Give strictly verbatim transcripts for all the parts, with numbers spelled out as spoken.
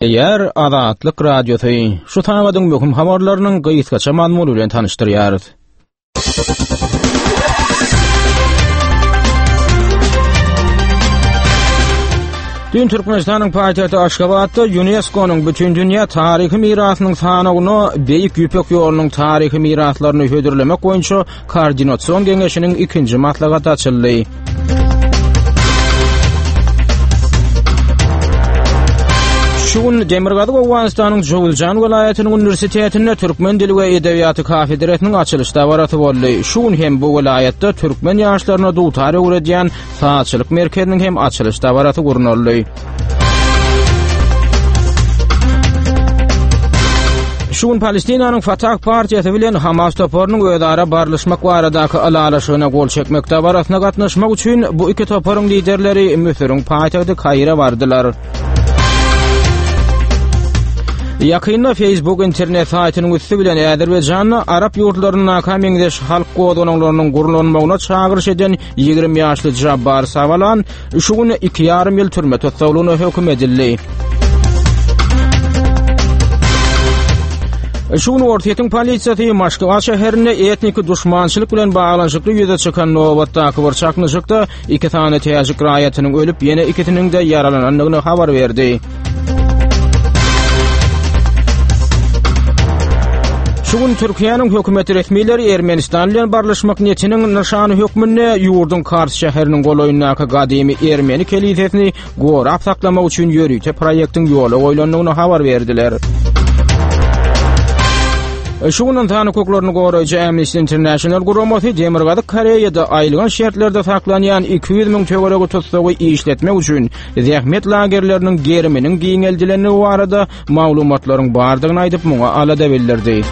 Eýer Azatlyk Radiosy şu sagadyň möhüm habarlarynyň gysgaça mazmuny bilen tanyşdyrýarys. Dün Türkmenistanyň paýtagty Aşgabatda UNESCO-nyň Bütindünýä taryhy mirasynyň sanawyna Beýik Ýüpek ýolunyň taryhy miraslaryny hödürlemek boýunça Koordinasion geňeşiniň ikinji maslahaty açyldy. Şu gün Demirgazyk Owganystanyň Jowuzjan welaýatynyň uniwersitetinde türkmen dili we edebiýaty kafedrasynyň açylyş dabarasy boldy. Şu gün hem bu welaýatda türkmen ýaşlaryna dutar öwredýän sazçylyk merkeziniň hem açylyş dabarasy gurnaldy. Şu gün Palestinanyň Fatah partiýasy bilen Hamas toparynyň özara barlyşmak baradaky ylalaşygyna gol çekmek dabarasyna gatnaşmak üçin bu iki toparyň liderleri Müsüriň paýtagty Kaire bardylar. Ýakynda Facebook internet saýtynyň üsti bilen Azerbaýjanda arap ýurtlaryndaka meňzeş halk gozgalaňlarynyň gurlanmagyna çagyryş eden ýigrimi ýaşly Jabbar Savalan şu gün iki ýarym ýyl türme tussaglygyna höküm edildi. Şu gün Orsýetiň polisiýasy Moskwa şäherinde etniki duşmançylyk bilen baglanyşykly ýüze çykan nobatdaky bir çaknyşykda iki sany täjik raýatynyň ölüp, ýene ikisiniň-de ýaralanandygyny habar berdi. Şu gün Türkiýäniň hökümet resmileri Ermenistan bilen barlyşmak niýetiniň nyşany hökmünde ýurduň Kars şäheriniň golaýyndaky gadymy ermeni kelisesini gorap saklamak üçin ýörite proýektiň ýola goýlandygyny habar berdiler. Şu gün ynsan hukuklaryny goraýjy Amnesty International guramasy Demirgazyk Koreýada aýylganç şertlerde saklanýan iki ýüz müň töweregi tussagy işletmek üçin zähmet lagerleriniň geriminiň giňeldilendigi barada maglumatlaryň bardygyny aýdyp, muňa alada bildirdi.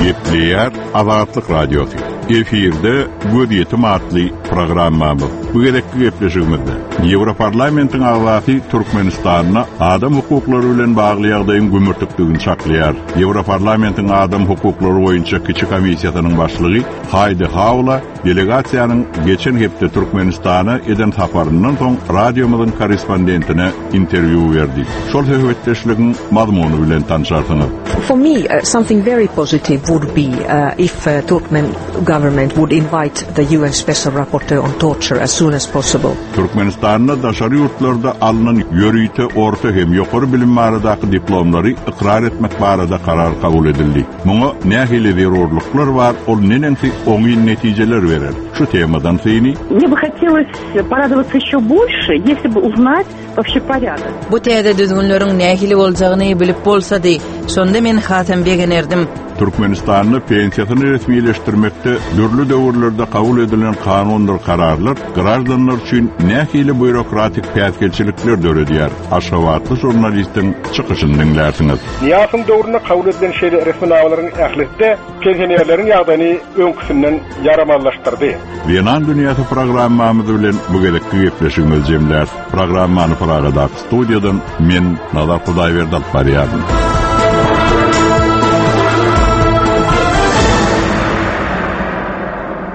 Gepleýär Azatlyk Radiosy. Efirde Gözýetim atly programmamyz. Bu gezekki gepleşigimizde Ýewroparlamentiň agzasy Türkmenistanda adam hukuklary bilen bagly ýagdaýyň gümürtikdigini çaklaýar. Ýewroparlamentiň adam hukuklary boýunça kiçi komissiýasynyň başlygy Haýdi Haula delegasiýanyň geçen hepde Türkmenistana eden saparyndan soň radiomyzyň korrespondentine interwýu berdi. Şol söhbetdeşligiň mazmuny bilen tanşarsyňyz. For me, uh, something very positive would be, uh, if, uh, Turkmen government would invite the U N Special Rapporteur on Torture as soon as possible. Türkmenistanda daşary ýurtlarda alnan ýörite orta hem ýokary bilim baradaky diplomlary ykrar etmek barada karar kabul edildi. Muňa nähili zerurlyklar bar, ol neneňsi oňyn netijeler berer. Şu temadan syny. Мне бы хотелось порадоваться еще больше, если бы узнать вообще порядок. Bu täze düzgünleriň nähili boljagyny bilip bolsady, şonda men hatam begenerdim. Türkmenistanda pensiýasyny resmileşdirmekde dürli döwürlerde kabul edilen kanundyr kararlar grajdanlar üçin nähili býurokratik päsgelçilikler döredýär. Aşgabatly žurnalistiň çykyşyny diňlärsiňiz. Niýasyň döwründe kabul edilen şeýle resminamalaryň ählisi pensionerleriň ýagdaýyny öňküsinden ýaramazlaşdyrdy. Zenan dünýäsi programmamyz bilen bu gezekki gepleşigimizi jemläris. Programmany Pragadaky studiýadan men Nazar Hudaýberdi alyp barýaryn.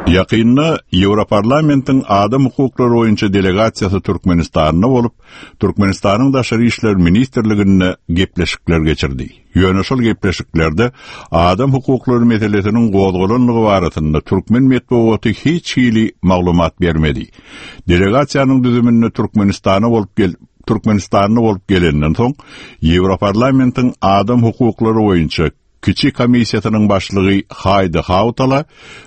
Ýakynda Ýewroparlamentiň adam hukuklary boýunça delegasiýasy Türkmenistanda bolup, Türkmenistanyň Daşary işler ministrliginde gepleşikler geçirdi. Ýöne şol gepleşiklerde adam hukuklary meselesiniň gozgalanlygy barasynda türkmen metbugaty hiç hili maglumat bermedi. Delegasiýanyň düzüminde Türkmenistana bolup gel Türkmenistanda bolup gelenden soň Ýewroparlamentiň adam hukuklary boýunça kiçi komissiýasynyň başlygy Haýdi Hautala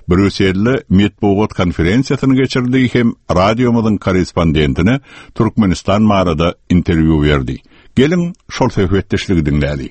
Brýusselde metbugat konferensiýasyny geçirdi hem radiomyzyň korrespondentine Türkmenistan barada interwýu berdi. Gelin şol söhbetdeşligi diňläli.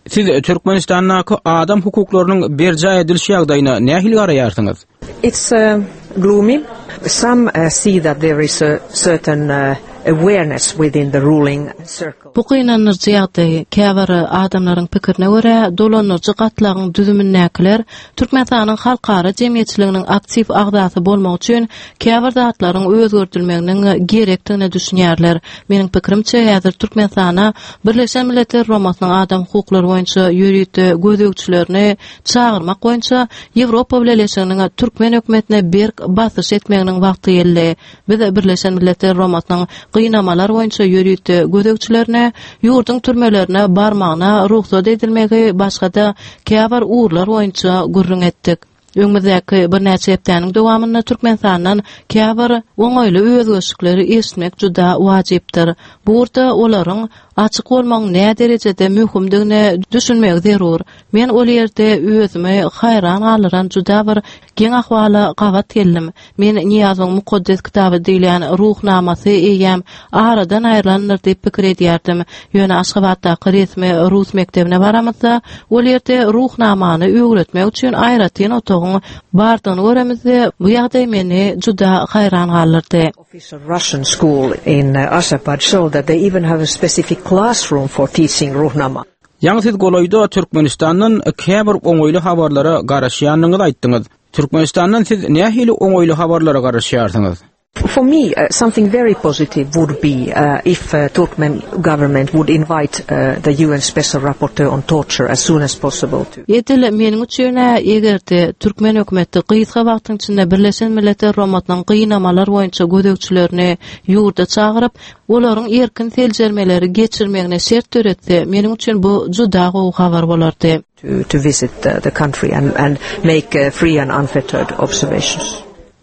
Siz Türkmenistandaky adam hukuklarynyň berjaý ediliş ýagdaýyna nähili garaýarsyňyz? It's, uh, gloomy. Some, uh, see that there is a certain, uh, awareness within the ruling circle. Bu gynandyryjy ýagdaý käbir adamlaryň pikirine görä dolandyryjy gatlagyň düzümindäkiler Türkmenistanyň halkara jemgyýetçiliginiň aktiw agzasy bolmak üçin käbir zatlaryň özgertilmeginiň gerekdigine düşünýärler. Meniň pikirimçe häzir Türkmenistana Birleşen Milletler Guramasynyň adam hukuklary boýunça ýörite gözegçilerini çagyrmak boýunça Ýewropa Bileleşiginiň türkmen hökümetine berk basyş etmeginiň wagty geldi. Biz Birleşen Milletler Guramasynyň gynamalar boýunça ýörite gözegçilerine ýurduň türmelerine barmagyna rugsat edilmegi başga-da käbir ugurlar boýunça gürrüň etdik. Öňümizdäki birnäçe hepdäniň dowamynda Türkmenistandan käbir oňaýly özgerişlikleri eşitmek juda wajypdyr. Bu ugurda olaryň açyk bolmagyň nä derejede möhümdigine düşünmegi zerur. Men ol ýerde özümi haýran galdyran juda bir geň ahwala gabat geldim. Men Nyýazowyň mukaddes kitaby diýilýän Ruhnamasy eýýäm aradan aýrylandyr diýip pikir edýärdim. Ýöne Aşgabatdaky resmi rus mekdebine baramyzda, ol ýerde Ruhnamany öwretmek üçin aýratyn otagyň bardygyny göremizde, bu ýagdaý meni juda haýran galdyrdy. Official Russian school in Ashgabat showed that they even have a specific classroom for teaching Ruhnama. Ýaňy siz golaýda Türkmenistandan käbir oňaýly habarlara garaşýandygyňyzy aýtdyňyz. Türkmenistandan siz nähili oňaýly habarlara garaşýarsyňyz? For me, uh, something very positive would be uh, if uh, Turkmen government would invite uh, the U N Special Rapporteur on Torture as soon as possible to. Edil meniň üçin eger-de türkmen hökümeti gysga wagtyň içinde Birleşen Milletler Guramasynyň gynamalar boýunça gözegçilerini ýurda çagyryp, olaryň erkin seljermeleri geçirmegine şert döretse, meniň üçin bu juda gowy habar bolardy. To, to visit the, the country and, and make, uh, free and unfettered observations.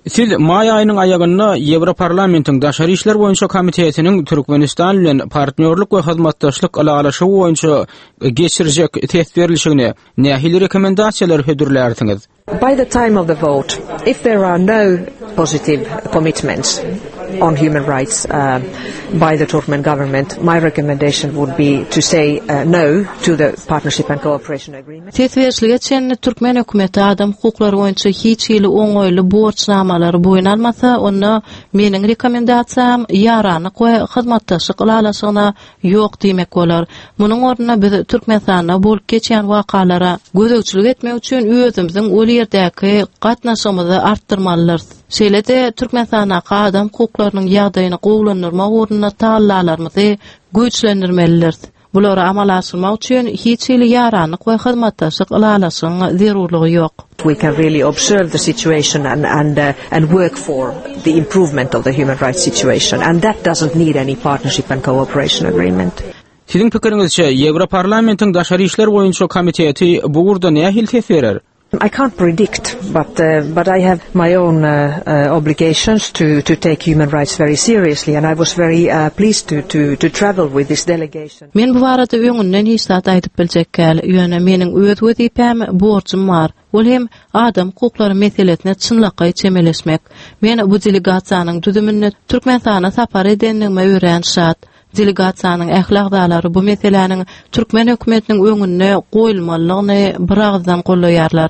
Siz maý aýynyň aýagynda Ýewroparlamentiň Daşary işler boýunça komitetiniň Türkmenistan bilen partnýorlyk we hyzmatdaşlyk ylalaşygy boýunça geçirjek ses berilişigine nähili rekomendasiýalar hödürlärsiňiz? By the time of the vote, if there are no positive commitments on human rights, uh, by the Turkmen government, my recommendation would be to say, uh, no to the Partnership and Cooperation Agreement. Ses berişlige çenli türkmen hökümeti adam hukuklary boýunça hiç hili oňaýly borçnamalary boýun almasa, onda meniň rekomendasiýam ýaranlyk we hyzmatdaşlyk ylalaşygyna ýok diýmek bolar. Munuň ornuna biz Türkmenistanda bolup geçýän wakalara gözegçilik etmek üçin özümiziň ol ýerdäki gatnaşygymyzy artdyrmalydyrys. Şeýle-de Türkmenistandaky adam hukuklarynyň ýagdaýyny gowulandyrmak ugrunda tagallalarymyzy güýçlendirmelidiris. Bulary amala aşyrmak üçin hiç hili ýaranlyk we hyzmatdaşlyk ylalaşygyň zerurlygy ýok. We can really observe the situation and, and, uh, and work for the improvement of the human rights situation, and that doesn't need any partnership and cooperation agreement. Siziň pikiriňizçe Ýewroparlamentiň Daşary işler boýunça komiteti bu ugurda nähili ses berer? I can't predict, but, uh, but I have my own, uh, uh, obligations to, to take human rights very seriously, and I was very, uh, pleased to, to, to travel with this delegation. Men bu barada öňünden hiç zat aýdyp biljek däl, ýöne meniň öz wezipem, borjum bar. Ol hem adam hukuklary meselesine çynlakaý çemeleşmek. Men bu delegasiýanyň düzüminde Türkmenistana sapar edendigime örän şat. Delegasiýanyň ähli agzalary bu meseläniň türkmen hökümetiniň öňünde goýulmalydygyny bir agızdan gollaýarlar.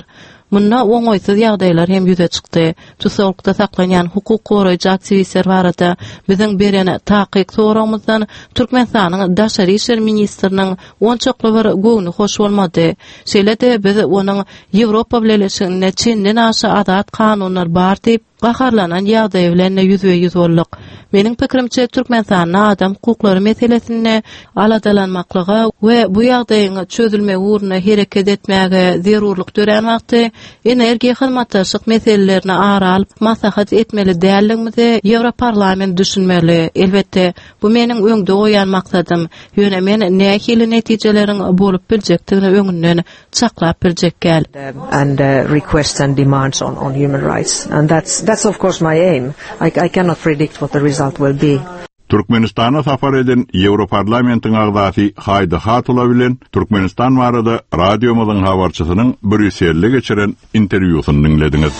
Munda oňaýsyz ýagdaýlar hem ýüze çykdy. Tussagykda saklanýan hukuk goraýjy aktiwistler barada biziň beren takyk soragymyzdan Türkmenistanyň Daşary işler ministriniň onçakly bir göwni hoş bolmady. Şeýle-de biz onuň Ýewropa Bileleşiginde çenden aşa azat kanunlar bar diýip gaharlanan ýagdaýy bilen ýüzbe-ýüz bolduk. Meniň pikirimçe Türkmenistanda adam hukuklary meselesinde aladalanmaklyga we bu ýagdaýyň çözülmegi ugrunda hereket etmäge zerurlyk dörän wagty energiýa hyzmatdaşlyk meselelerini ara alyp maslahat etmeli däldigimizi Ýewroparlament düşünmeli. Elbetde, bu meniň öňde goýan maksadym. Ýöne men nähili netijeleriň bolup biljekdigini öňünden çaklap biljek däl. And, uh, requests and demands on, on human rights. And that's, that's of course my aim. I, I cannot predict what the result will be. Türkmenistana sapar eden Ýewroparlamentiň agzasy Heidi Hautala bilen Türkmenistan barada radiomyzyň habarçysynyň Brýusselde geçiren interwýusyny diňlediňiz.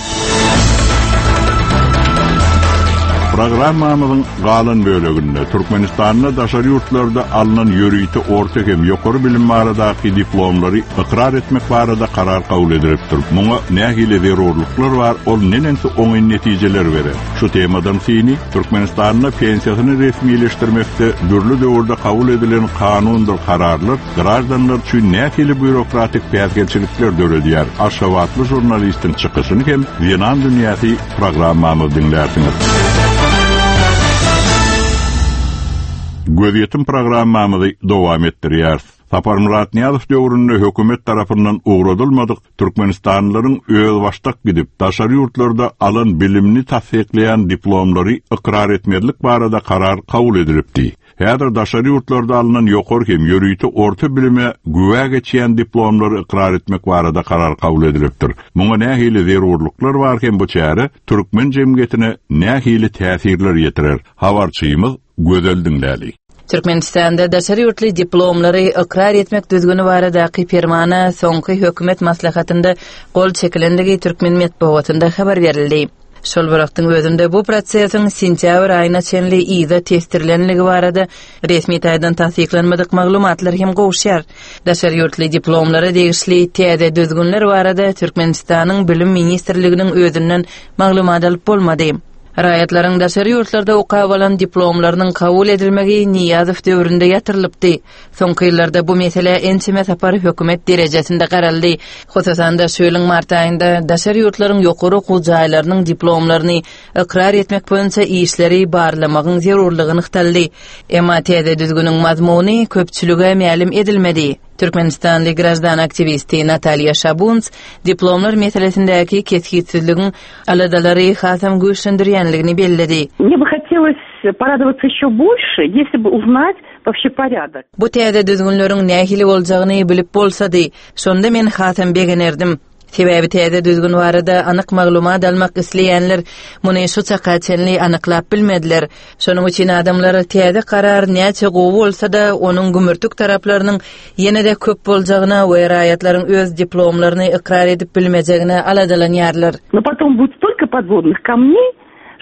Programmamyzyň galan böleginde Türkmenistanda daşary ýurtlarda alynan ýörite orta hem ýokary bilim baradaky diplomlary ykrar etmek barada karar kabul edilipdir. Muňa nähili zerurlyklar bar, ol neneňsi oňyn netijeler berer. Şu temadan syny Türkmenistanda pensiýasyny resmileşdirmekde dürli döwürde kabul edilen kanundyr kararlar graždanlar üçin nähili býurokratik päsgelçilikler döredýär. Aşgabatly žurnalistiň çykyşyny hem Zenan dünýäsi programmamyz diňlärsiňiz. Gözýetim programmamyzy dowam etdirýäris. Saparmyrat Nyýazow döwründe hökümet tarapyndan ugradylmadyk Türkmenistanlylaryň özbaşdak gidip daşary ýurtlarda alan bilimini tassyklaýan diplomlary ykrar etmezlik barada karar kabul edilipdi. Häzir daşary ýurtlarda alynan ýokary hem ýörite orta bilime güwä geçýän diplomlary ykrar etmek barada karar kabul edilipdir. Muňa nähili zerurlyklar bar hem bu çäre türkmen jemgyýetine nähili täsirler ýetirer? Habarçymyz Gözel diňläli. Türkmenistanda daşary ýurtly diplomlary ykrar etmek düzgüni baradaky permana soňky hökümet maslahatynda gol çekilendigi türkmen metbugatynda habar berildi. Şol bir wagtyň özünde bu prosesiň sentýabr aýyna çenli yza testirilenligi barada resmi taýdan tassyklanmadyk maglumatlar hem gowuşýar. Daşary ýurtly diplomlara degişli täze düzgünler barada Türkmenistanyň Bilim ministrliginiň özünden maglumat alyp bolmady. Raýatlaryň daşary ýurtlarda okap alan diplomlarynyň kabul edilmegi Nyýazow döwründe ýatyrylypdy. Soňky ýyllarda bu mesele ençeme sapar hökümet derejesinde garaldy. Hususan-da şu ýylyň mart aýynda daşary ýurtlaryň ýokary okuw jaýlarynyň diplomlaryny ykrar etmek boýunça işleri barlamagyň zerurlygy nygtaldy. Emma täze düzgüniň mazmuny köpçülige mälim edilmedi. Türkmenistanly graždan aktiwisti Natalýa Şabunts diplomlar meselesindäki kesgitsizligiň aladalary hasam güýçlendirýänligini belledi. Мне бы хотелось порадоваться еще больше, если бы узнать вообще порядок. Bu täze düzgünleriň nähili boljagyny bilip bolsady, şonda men hasam begenerdim. Sebäbi täze düzgün barada anyk maglumat almak isleýänler muny şu çaka çenli anyklap bilmediler. Şonuň üçin adamlar täze karar näçe gowy bolsa-da, onuň gümürtik taraplarynyň ýene-de köp boljagyna we raýatlaryň öz diplomlaryny ykrar edip bilmejegine aladalanýarlar. Но потом будет столько подводных камней,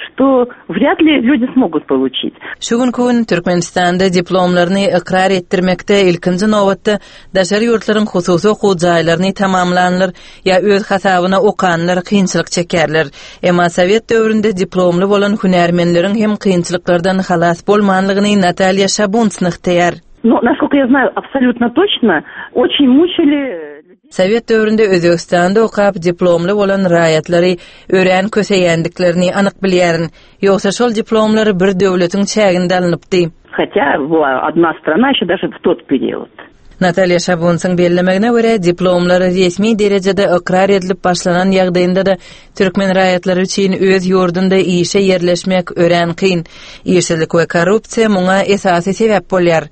что вряд ли люди смогут получить. Şu günki gün Türkmenistanda diplomlaryny ykrar etdirmekde ilkinji nobatda daşary ýurtlaryň hususy okuw jaýlaryny tamamlanlar ýa öz hasabyna okanlar kynçylyk çekerler. Emma Sowet döwründe diplomly bolan hünärmenleriň hem kynçylyklardan halas bolmanlygyny Natalýa Şabunts nygtaýar. Но, насколько я знаю, абсолютно точно, очень мучили Sowet döwründe Özbegistanda okap diplomly bolan raýatlary örän köseýändiklerini anyk bilýärin. Ýogsa şol diplomlar bir döwletiň çäginde alynypdy. Хотя была одна страна еще даже в тот период. Natalýa Şabunsyň bellemegine görä diplomlar resmi derejede ykrar edilip başlanan ýagdaýynda da türkmen raýatlary üçin öz ýurdunda işe ýerleşmek örän kyn. Işsizlik we korrupsiýa muňa esasy sebäp bolýar.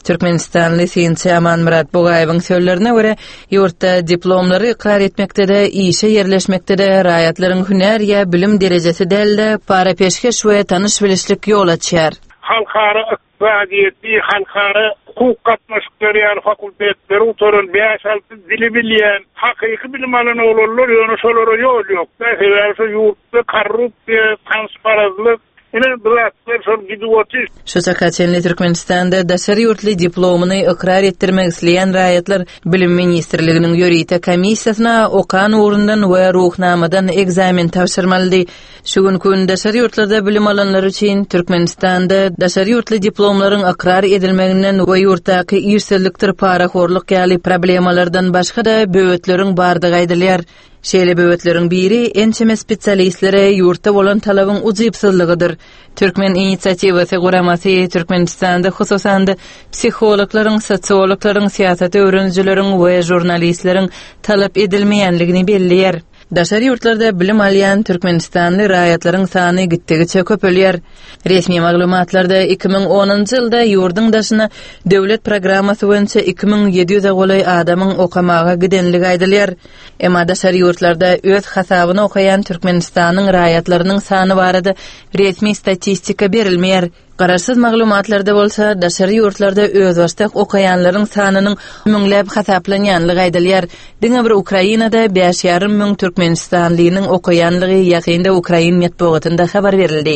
Türkmenistanly synçy Amanmyrat Bugaýewiň sözlerine görä, ýurtda diplomlary ykrar etmekde-de, işe ýerleşmekde-de raýatlaryň hünär ýa bilim derejesi däl-de, para peşgeş we tanyş bilişlik ýol açýar. Halkara ykdysadyýeti, halkara hukuk gatnaşyklary ýaly fakultetleri gutaran bäş alty dili bilýän, hakyky bilim alan oglanlar ýöne şolara ýol ýok. Sebäbi şu ýurtda korrupsiýa, transparazlyk, ine bu zatlar şol gidip otyr. Şu çaka çenli Türkmenistanda daşary ýurtly diplomyny ykrar etdirmek isleýän raýatlar Bilim ministrliginiň ýörite komissiýasyna okan ugrundan we ruhnamadan ekzamen tabşyrmalydy. Şu günki gün daşary ýurtlarda bilim alanlar üçin Türkmenistanda daşary ýurtly diplomlaryň ykrar edilmeginden we ýurtdaky işsizlikdir parahorluk ýaly problemalardan başga-da böwetleriň bardygy aýdylýar. Şeýle böwetleriň biri ençeme spesialistlere ýurtda bolan talabyň ujypsyzlygydyr. Türkmen inisiatiwasy guramasy Türkmenistanda hususan-da psihologlaryň, sosiologlaryň, syýasat öwrenijileriň we žurnalistleriň talap edilmeýänligini belleýär. Daşary ýurtlarda bilim alýan Türkmenistanly raýatlaryň sany gitdigiçe köpelýär. Resmi maglumatlarda iki müň onunjy ýylda ýurduň daşyna döwlet programmasy boýunça iki müň ýedi ýüze golaý adamyň okamaga gidenligi aýdylýar. Emma daşary ýurtlarda öz hasabyny okaýan Türkmenistanyň raýatlarynyň sany barada resmi statistika berilmeýär. Garaşsyz maglumatlarda bolsa daşary ýurtlarda özbaşdak okaýanlaryň sanynyň müňläp hasaplanýanlygy aýdylýar. Diňe bir Ukrainada bäş ýarym müň Türkmenistanlynyň okaýanlygy ýakynda Ukrain metbugatynda habar berildi.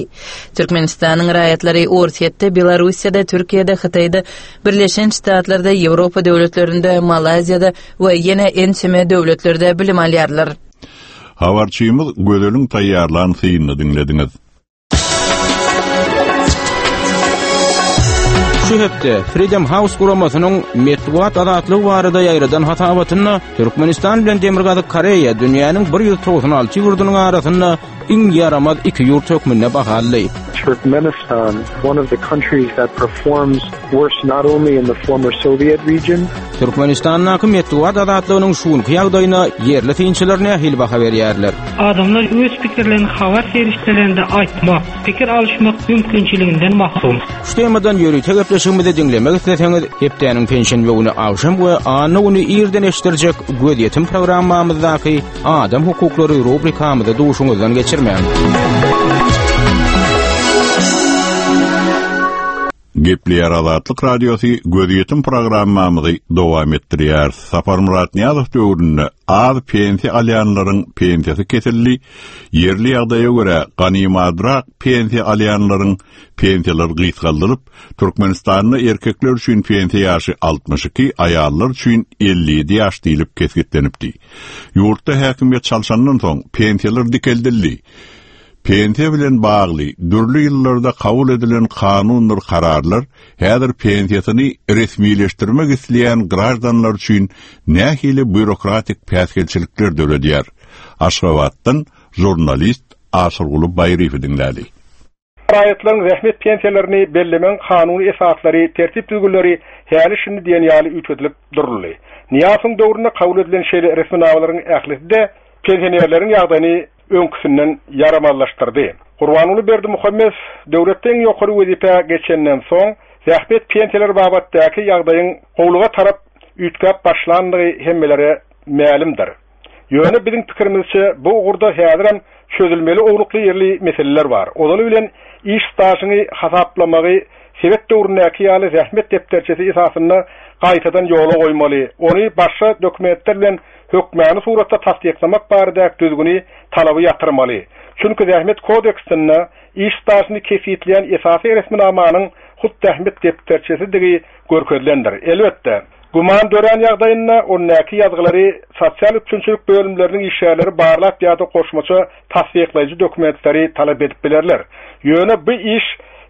Türkmenistanyň raýatlary Orsýetde, Belarusýada, Türkiýede, Hytaýda, Birleşen Ştatlarda, Ýewropa döwletlerinde, Malaýziýada we ýene ençeme döwletlerde bilim alýarlar. Habarçymyz Gözeliň taýýarlan synyny diňlediňiz. Şu hepde Freedom House guramasynyň metbugat azatlygy barada ýaýradan hasabatynda Türkmenistan bilen Demirgazyk Koreýa dünýäniň bir ýüz togsan alty ýurdunyň arasynda iň ýaramaz iki ýurt hökmünde bahalandy. Turkmenistan, one of the countries that performs worse not only in the former Soviet region. Türkmenistandaky metbugat azatlygynyň şu günki ýagdaýyna ýerli synçylar nähili baha berýärler? Adamlar öz pikirlerini habar serişdelerinde aýtmak, pikir alyşmak mümkinçiliginden mahrum. Şu temadan ýörite gepleşigimizi diňlemek isleseňiz, hepdäniň penşenbe güni agşam we anna güni irden eşitdirjek Gözýetim programmamyzdaky Adam hukuklary rubrikamyzy duşuňyzdan geçirmäň. Gepleýär Azatlyk Radiosy Gözýetim programmamyzy dowam etdirýär. Saparmyrat Nyýazow döwründe az pensiýa alýanlaryň pensiýasy kesildi. Ýerli ýagdaýa görä ganymadrak pensiýa alýanlaryň pensiýalary gysgaldylyp, Türkmenistanda erkekler üçin pensiýa ýaşy altmyş iki, aýallar üçin elli ýedi ýaş diýlip kesgitlenipdi. Ýurtda häkimiýet çalşandan soň pensiýalar dikeldildi. Pensiýa bilen bagly dürli ýyllarda kabul edilen kanundyr kararlar häzir pensiýasyny resmileşdirmek isleýän graždanlar üçin nähili býurokratik päsgelçilikler döredýär? Aşgabatdan žurnalist Aşyrguly Baýryýewi diňläli. Raýatlaryň zähmet pensiýalaryny bellemegiň kanuny esaslary, tertip düzgünleri häli şindi diýen ýaly üýtgedilip duruldy. Nyýazowyň döwründe kabul edilen şeýle resminamalaryň ählisi-de pensionerleriň ýagdaýyny öňküsinden ýaramazlaşdyrdy. Gurbanguly Berdimuhamedow döwletde iň ýokary wezipä geçenden soň zähmet pensiýalary babatdaky ýagdaýyň gowluga tarap üýtgäp başlandygy hemmelere mälimdir. Ýöne biziň pikirimizçe bu ugurda häzirem çözülmeli ownukly ýerli meseleler bar. Ozaly bilen iş stažyny hasaplamagy sebet döwründäki ýaly zähmet depderçesi esasynda gaýtadan ýola goýmaly. Ony başga dokumentler bilen hökmany suratda tassyklamak baradaky düzgüni talaby ýatyrmaly. Çünki zähmet kodeksinde iş stažyny kesgitleýän esasy resminamanyň hut zähmet depderçesidigi görkezilendir. Elbetde, güman dörän ýagdaýynda ondaki ýazgylary sosial üpjünçilik bölümleriniň işgärleri barlap ýa-da goşmaça tassyklaýjy dokumentleri talap edip bilerler. Ýöne bu iş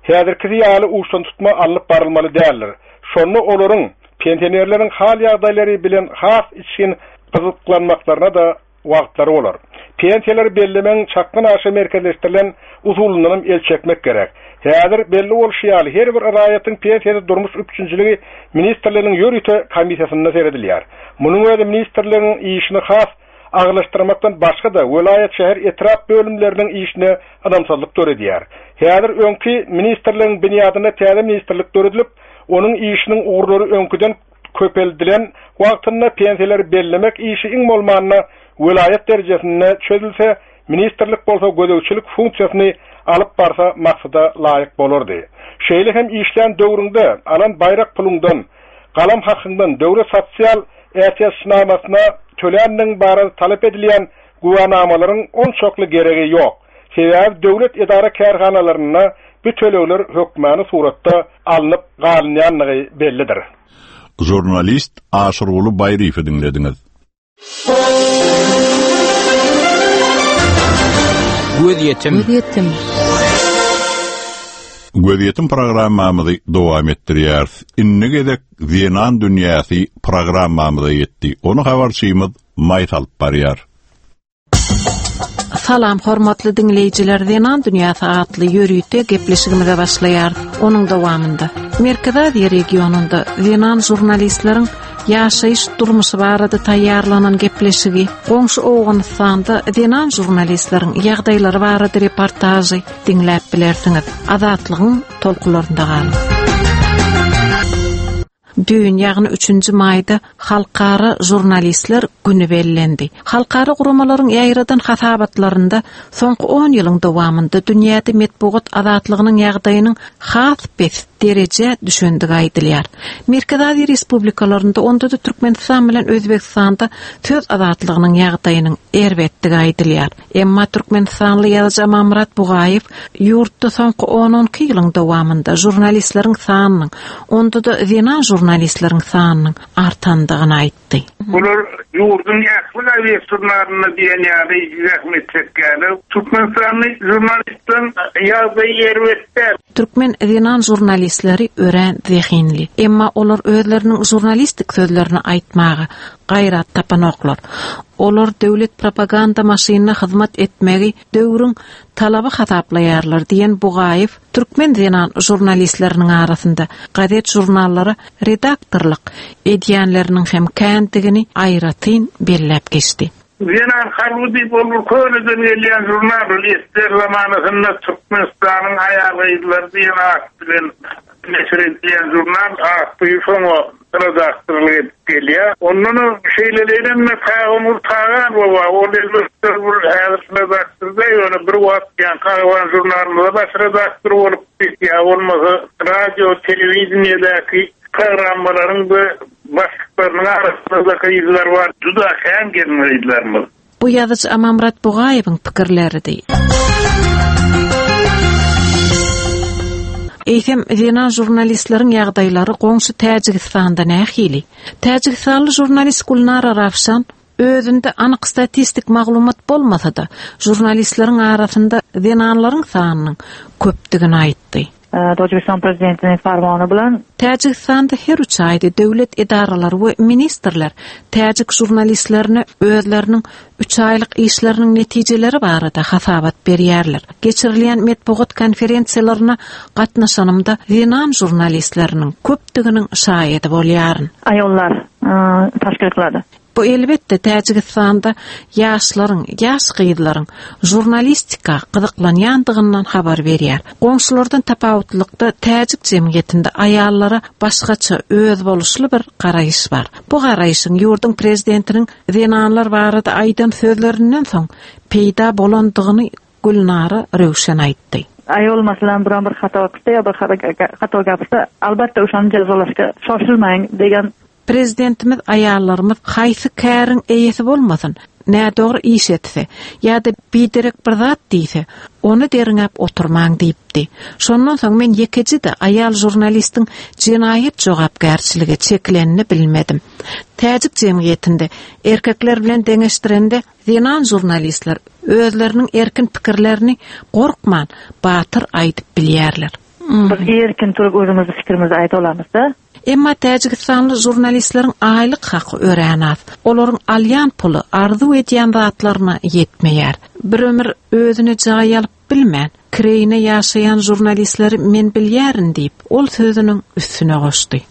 häzirkisi ýaly uçdan tutma alnyp barylmaly däldir. Şonda olaryň pensionerleriň hal ýagdaýlary bilen has içgin gyzyklanmaklaryna da wagtlary bolar. Pensiýalary bellemegiň çakgan aşa merkezleşdirilen usulyndan el çekmek gerek. Häzir belli bolşy ýaly her bir raýatyň pensiýasy durmuş üpjünçiligi ministrliginiň ýörite komissiýasynda seredilýär. Munuň özi ministrligiň işini has agyrlaşdyrmakdan başga-da welaýat, şäher, etrap bölümleriniň işine ynamsyzlyk döredýär. Häzir öňki ministrligiň binýadynda täze ministrlik döredilip, onuň işiniň ugurlary öňküden köpeldilen wagtynda pensiýalary bellemek işi iň bolmanda welaýat derejesinde çözülse, ministrlik bolsa gözegçilik funksiýasyny alyp barsa maksada laýyk bolardy. Şeýle hem işlän döwrüňde alan baýrak puluňdan, galam hakyňdan döwlet sosial ätiýaçnamasyna töländigiň barada talap edilýän güwänamalaryň onçakly geregi ýok. Sebäbi döwlet edara kärhanalarynda bu tölegler hökmany suratda alnyp galynýandygy bellidir. Žurnalist Aşyrguly Baýryýewi diňlediňiz. Gözýetim. Gözýetim. Gözýetim programmamyzy dowam etdirýäris. Indi gezek Zenan dünýäsi programmamyza ýetdi. Ony habarçymyz Maý salyp barýar. Salam hormatly diňleýjiler, Zenan dünýäsi atly ýörite gepleşigimize başlaýar. Onuň dowamynda Merkezi Aziýa regionynda zenan žurnalistleriň ýaşaýyş durmuşy barada taýýarlanan gepleşigi, goňşy Owganystanda zenan žurnalistleriň ýagdaýlary barada reportažy diňläp bilersiňiz. Azatlygyň tolkunlarynda galyň. Düýn, ýagny üçünji maýda Halkara žurnalistler güni bellendi. Halkara guramalaryň ýaýradan hasabatlarynda soňky on ýylyň dowamynda dünýäde metbugat azatlygynyň ýagdaýynyň has pes derejä düşendigi aýdylýar. Merkezi Aziýa Respublikalarynda, onda-da Türkmenistan bilen Özbegistanda söz azatlygynyň ýagdaýynyň erbetdigi aýdylýar. Emma türkmenistanly ýazyjy Amanmyrat Bugaýew ýurtda soňky on-on iki ýylyň dowamynda žurnalistleriň sanynyň, onda-da zenan žurnalistleriň sanynyň artandygyny aýtdy. Bular ýurduň ähli gazet žurnalynda diýen ýaly zähmet çekýärler. Türkmenistanly žurnalistleriň ýagdaýy erbet däl. Türkmen zenan žurnalistleri örän zehinli. Emma olar özleriniň žurnalistik sözlerini aýtmaga gaýrat tapanoklar. Olar döwlet propaganda maşynyna hyzmat etmegi döwrüň talaby hasaplaýarlar diýen Bugaýew türkmen zenan žurnalistleriniň arasynda gazet žurnallara redaktorlyk edýänleriniň hem kändigini aýratyn belläp geçdi. Zenan harby diýip ol bir köneden gelýän žurnal, ol ester zamanasynda Türkmenistanyň aýal-gyzlary diýen at bilen neşir edilýän žurnal atly soňa redaktorlyk edip gelýär. Ondan şeýlelikde Tagamur Tagan baba, ol elbetde bir häzir redaktorda, ýöne bir wagt ýan Karawan žurnalynda baş redaktor bolup, ýa bolmasa radio, telewideniýedäki programmalaryň we başlyklarynyň arasynda gyzlar bar, juda kän gelin gyzlarymyz. Bu ýazyjy Amanmyrat Bugaýewiň pikirleridi. Eýsem, zenan žurnalistleriň ýagdaýlary goňşy Täjigistanda nähili? Täjigistanly žurnalist Gulnara Rawşan özünde anyk statistik maglumat bolmasa-da, žurnalistleriň arasynda zenanlaryň sanynyň köpdügini aýtdy. Tojikistan prezidentiniň farmany bilen Täjigistanda her üç aýda döwlet edaralary we ministrler täjik žurnalistlerine özleriniň üç aýlyk işleriniň netijeleri barada hasabat berýärler. Geçirilýän metbugat konferensiýalaryna gatnaşanymda zenan žurnalistleriniň köpdüginiň şaýady bolýaryn. Ayollar, tashkil qiladi. Bu elbetde Täjigistanda ýaşlaryň, ýaş gyzlaryň žurnalistika gyzyklanýandygyndan habar berýär. Goňşulardan tapawutlykda täjik jemgyýetinde aýallara başgaça özboluşly bir garaýyş bar. Bu garaýşyň ýurduň prezidentiniň zenanlar barada aýdan sözlerinden soň peýda bolandygyny Gulnara Röwşen aýtdy. Ayol masalan biron bir xato qilsa yo bir xato gapirsa, albatta o'shani jazolashga shoshilmang degan. Prezidentimiz aýallarymyz haýsy käriň eýesi bolmasyn, nädogry iş etse ýa-da biderek bir zat diýse, ony derňäp oturmaň diýipdi. Şondan soň men ýekeje-de aýal žurnalistiň jenaýat jogapkärçilige çekilenini bilmedim. Täjik jemgyýetinde erkekler bilen deňeşdirende zenan žurnalistler özleriniň erkin pikirlerini gorkman batyr aýdyp bilýärler. Biz erkin turup özümizi fikrimizi aýda olamyz-da. Emma Täjigistanly žurnalistleriň aýlyk haky örän az. Olaryň alýan puly arzuw edýän zatlaryna ýetmeýär. Bir ömür özüne jaý alyp bilmän, kireýine ýaşaýan žurnalistleri men bilýärin diýip, ol sözüniň üstüne goşdy.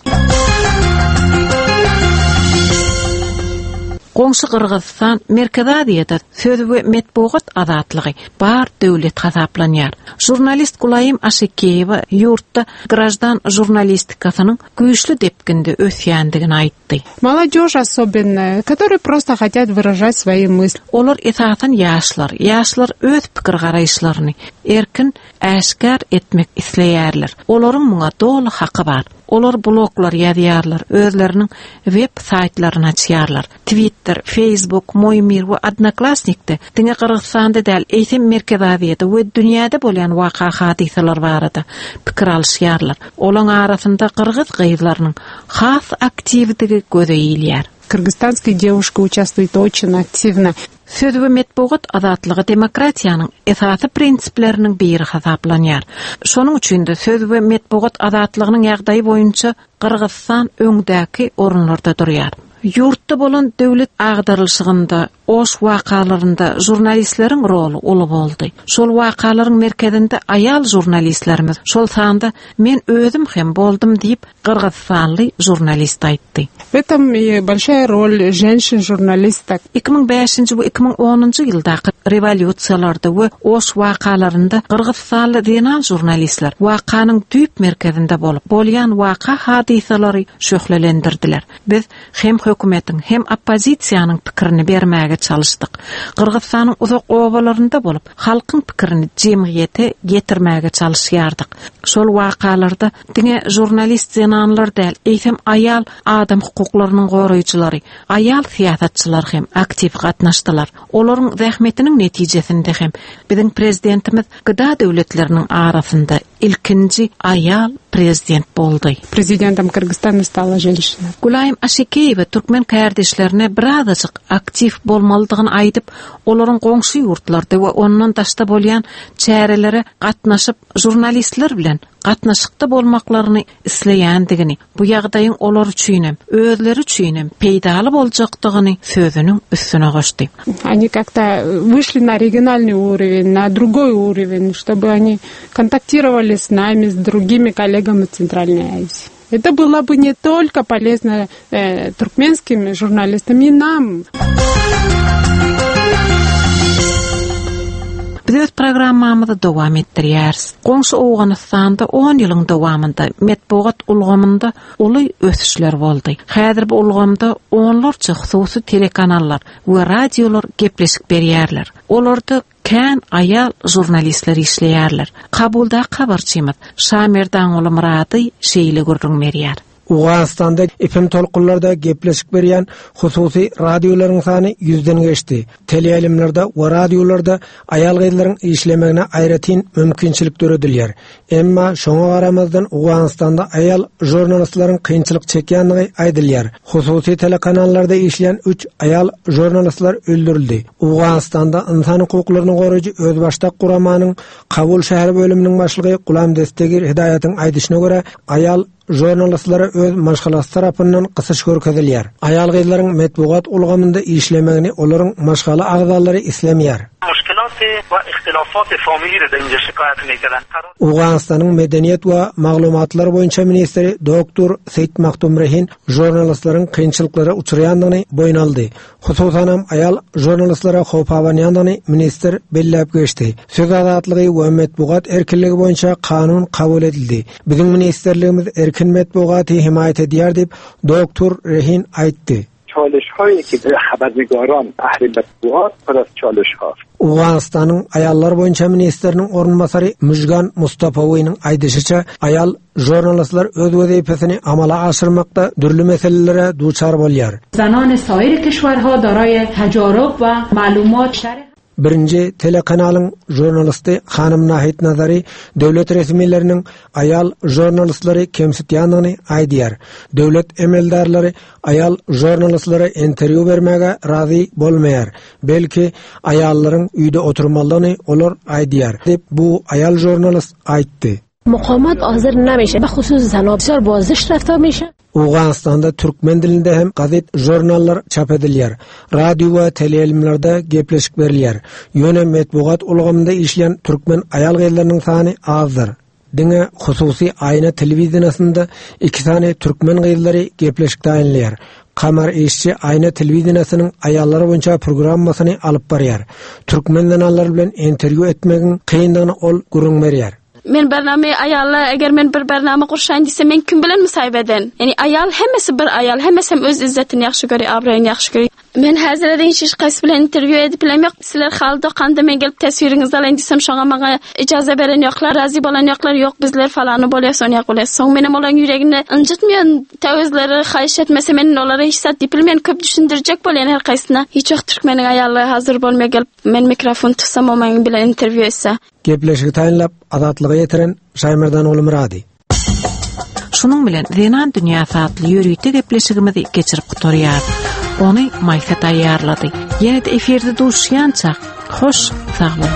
Goňşy Gyrgyzystan Merkezi Aziýada söz we metbugat azatlygy bar döwlet hasaplanýar. Žurnalist Gulaýym Aşekeýewa ýurtda grajdan žurnalistikasynyň güýçli depginde ösýändigini aýtdy. Молодежь особенно, которые просто хотят выражать свои мысли. Olar esasan ýaşlar, ýaşlar öz pikir garaýyşlaryny erkin äşgär etmek isleýärler. Olaryň muňa doly haky bar. Olar bloglar ýazýarlar, özleriniň web saýtlaryny açýarlar. Twitter, Facebook, Moýmir we Odnoklassnikde diňe Gyrgyzystanda däl, eýsem Merkezi Aziýada we dünýäde bolýan waka hadysalar barada pikir alyşýarlar. Olaryň arasynda gyrgyz gyzlarynyň has aktiwdigi göze ilýär. Кыргызстанские девушки участвуют очень активно. Söz we metbugat azatlygy demokratiýanyň esasy prinsipleriniň biri hasaplanýar. Şonuň üçin de söz we metbugat azatlygynyň ýagdaýy boýunça Gyrgyzystan öňdäki orunlarda durýar. Ýurtda bolan döwlet agdarylyşygynda, Oş wakalarynda žurnalistleriň roly uly boldy. Şol wakalaryň merkezinde aýal žurnalistlerimiz, şol sanda men özüm hem boldum diýip Gyrgyzystanly žurnalist aýtdy. В этом и большая роль женщин-журналисток. iki müň bäşinji we iki müň onunjy ýyldaky rewolýusiýalarda we Oş wakalarynda Gyrgyzystanly zenan žurnalistler wakanyň düýp merkezinde bolup, bolýan waka hadysalary şöhlelendirdiler. Biz hem hökümetiň hem oppozisiýanyň pikirini bermäge çalışdyk. Gyrgyzystanyň uzak obalarynda bolup, halkyň pikirini jemgyýete getirmäge çalışýardyk. Şol wakalarda diňe žurnalist zenanlar däl, eýsem aýal adam hukuklarynyň goraýjylary, aýal syýasatçylar hem aktiw gatnaşdylar. Olaryň zähmetiniň netijesinde hem biziň prezidentimiz G D A döwletleriniň arasynda ilkinji aýal prezident boldy. Президентом Кыргызстана стала женщина. Gülaýym Aşekeýewa türkmen kärdeşlerine birazajyk aktiw bolmalydygyny aýdyp, olaryň goňşy ýurtlarda we ondan daşda bolýan çärelere gatnaşyp žurnalistler bilen gatnaşykda bolmaklaryny isleýändigini, bu ýagdaýyň olar üçinem, özleri üçinem peýdaly boljakdygyny sözüniň üstüne goşdy. Они как-то вышли на региональный уровень, на другой уровень, чтобы они контактировали с нами, с другими коллегами Центральной Азии. Это было бы не только полезно, э, туркменским журналистам, и нам. Biz öz programmamyzy dowam etdirýäris. Goňşy Owganystanda on ýylyň dowamynda metbugat ulgamynda uly ösüşler boldy. Häzir bu ulgamda onlarça hususy telekanallar we radiolar gepleşik berýärler. Olarda kän aýal žurnalistler işleýärler. Kabulda habarçymyz Şamerdan Murady şeýle gürrüň berýär. Owganystanda F M tolkunlarda gepleşik berýän hususy radiolaryň sany ýüzden geçdi. Teleýaýlymlarda we radiolarda aýal gyzlaryň işlemegine aýratyn mümkinçilik döredilýär. Emma şoňa garamazdan Owganystanda aýal žurnalistleriň kynçylyk çekýändigi aýdylýar. Hususy telekanallarda işleýän üç aýal žurnalistler öldürildi. Owganystanda insan hukuklaryny goraýjy özbaşdak guramanyň Kabul şäher bölüminiň başlygy Gulam Destegir Hidaýatyň aýdyşyna görä aýal žurnalistlere öz maşgalasy tarapyndan gysyş görkezilýär. Aýal gyzlaryň metbugat ulgamynda işlemegini olaryň maşgala agzalary islemeýär. مشکلات و اختلافات فامیلی را در اینجا شکایت می‌کردن. Owganystanyň medeniýet we maglumatlar boýunça ministri doktor Seyit Maktum Rehin žurnalistleriň kynçylyklara uçraýandygyny boýun aldy. Hususanam aýal žurnalistlere howp abanýandygyny ministr belläp geçdi. Söz azatlygy we metbugat erkinligi boýunça kanun kabul edildi. Biziň ministerligimiz erkin metbugaty himaýat edýär diýip doktor Rehin aýtdy. چالش‌هایی که خبرنگاران اهل مطبوعات پر از چالش‌هاست. Owganystanyň aýallar boýunça ministriniň orunbasary Müjgan Mustafawynyň aýdyşyça aýal žurnalistler öz wezipesini amala aşyrmakda dürli meselelere duçar bolýar. زنان سایر کشورها دارای تجارب و معلومات شرح Birinji telekanalyň žurnalisti Hanym Nahit Nazary döwlet resmileriniň aýal žurnalistleri kemsitýandygyny aýdýar. Döwlet emeldarlary aýal žurnalistlere interwýu bermäge razy bolmaýar. Belki aýallaryň öýde oturmalydygyny olar aýdýar diýip bu aýal žurnalist aýtdy. مقاومت حاضر نمیشه، به خصوص زنها بسیار بازش رفتار میشه. Owganystanda türkmen dilinde hem gazet jurnallar çap edilýär. Radio we teleýaýlymlarda gepleşik berilýär. Ýöne metbugat ulgamynda işleýän türkmen aýal gyzlarynyň sany azdyr. Diňe hususy aýna telewizionasynda iki sany türkmen gyzlary gepleşik taýynlaýar. Kamar işçi aýna telewizionasynyň aýallar boýunça programmasyny alyp barýar. Türkmen zenanlary bilen interwýu etmegiň kyndygyny ol gürrüň berýär. Men barnama ayollar, agar men bir barnama qurishayın desam, men kim bilan musohiba eden? Ya'ni ayol hammasi bir ayol, hammasi ham o'z izzatini yaxshi ko'radi, obro'yini yaxshi ko'radi. Men hozirdan hech qaysi bilan intervyu edib bilam yo'q. Sizlar hali do'konda men kelib tasviringizni olayın desam, shunga menga ijoza beren yo'qlar, rozi bo'lan yo'qlar, yo'q bizlar faloni bo'lyapsiz, uni bo'lyapsiz. So'ng men ham ularning yuragini injitmayan, ta o'zlari xohish etmasa men ularga hech zat deb bilmayman, ko'p tushuntirajak bo'lgan har qaysini. Hech vaqt turkmening ayollari hozir bo'lmay kelib, men mikrofon tutsam, u men bilan intervyu etsa. Gepleşigi taýynlap, azatlyga ýetiren Şaýmerdan Ulumyrady. Şunuň bilen Zenan dünýäsi atly ýörite gepleşigimizi geçirip gutarýar. Ony Maýsa taýýarlady. Ýene-de efirde duşýança, hoş sag boluň.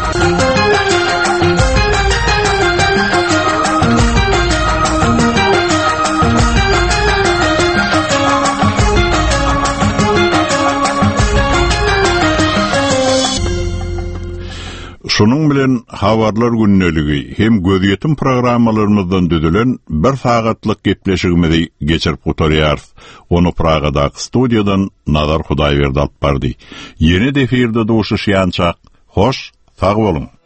Şunuň bilen habarlar gündeligi hem gözýetim programmalarymyzdan düzülen bir sagatlyk gepleşigimizi geçirip gutarýarys. Onu Pragadaky studiýadan Nazar Hudaýberdi alyp bardy. Ýene-de efirde duşuşýançak, hoş, sag boluň.